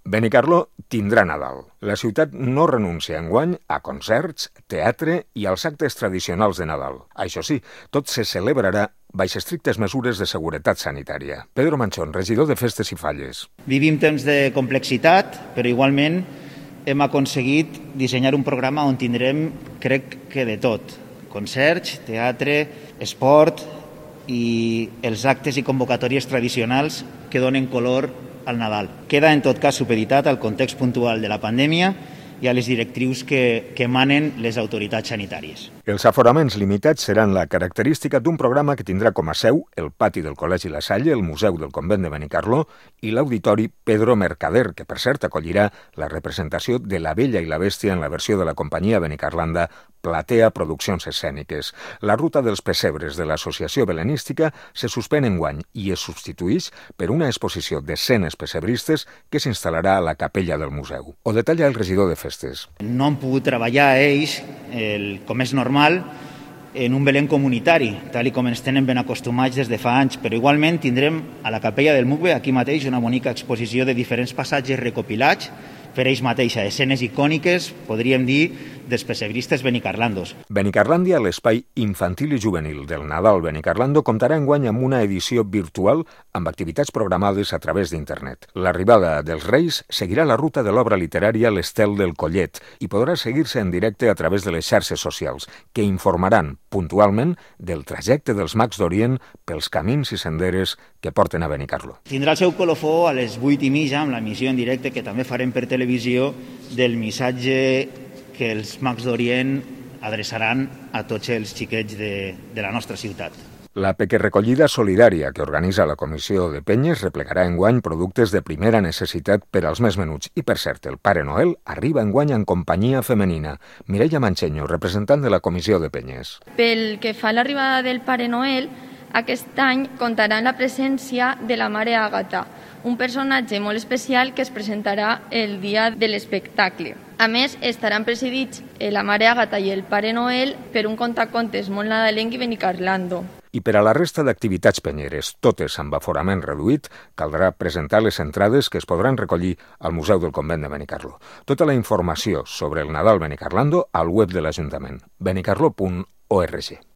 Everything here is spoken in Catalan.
Benicarló tindrà Nadal. La ciutat no renuncia enguany a concerts, teatre i als actes tradicionals de Nadal. Això sí, tot se celebrarà baix estrictes mesures de seguretat sanitària. Pedro Manchón, regidor de Festes i Falles. Vivim temps de complexitat, però igualment hem aconseguit dissenyar un programa on tindrem, crec que de tot. Concerts, teatre, esport i els actes i convocatòries tradicionals que donen color al Nadal. Queda, en tot cas, supeditat al context puntual de la pandèmia i a les directrius que emanen les autoritats sanitàries. Els aforaments limitats seran la característica d'un programa que tindrà com a seu el pati del Col·legi La Salle, el Museu del Convent de Benicarló i l'Auditori Pedro Mercader, que per cert acollirà la representació de La Bella i la Bèstia en la versió de la companyia benicarlanda Platea Produccions Escèniques. La ruta dels pessebres de l'Associació Belenística se suspèn enguany i es substituïx per una exposició d'escenes pessebristes que s'instal·larà a la capella del museu. Ho detalla el regidor de Festes. No han pogut treballar ells, com és normal, en un Belén comunitari, tal com ens tenen ben acostumats des de fa anys, però igualment tindrem a la capella del MUCBE aquí mateix una bonica exposició de diferents passatges recopilats per ells mateixa, escenes icòniques, podríem dir, dels pessebristes benicarlandos. Benicarlàndia, l'espai infantil i juvenil del Nadal Benicarlando, comptarà enguany amb una edició virtual amb activitats programades a través d'internet. L'arribada dels Reis seguirà la ruta de l'obra literària L'Estel del Collet i podrà seguir-se en directe a través de les xarxes socials, que informaran puntualment del trajecte dels Mags d'Orient pels camins i senderes que porten a Benicarló. Tindrà el seu colofó a les 8:30 amb l'emissió en directe que també farem per televisió del missatge que els Mags d'Orient adreçaran a tots els xiquets de la nostra ciutat. La pequerrecollida solidària que organitza la Comissió de Penyes replegarà enguany productes de primera necessitat per als més menuts. I, per cert, el Pare Noel arriba enguany en companyia femenina. Mireia Mancheño, representant de la Comissió de Penyes. Pel que fa a l'arribada del Pare Noel, aquest any comptarà amb la presència de la Mare Àgata, un personatge molt especial que es presentarà el dia de l'espectacle. A més, estaran presidits la Mare Àgata i el Pare Noel per un contacontes molt nadalenc i benicarlando. I per a la resta d'activitats penyeres, totes amb aforament reduït, caldrà presentar les entrades que es podran recollir al Museu del Convent de Benicarló. Tota la informació sobre el Nadal Benicarlando al web de l'Ajuntament, benicarló.org.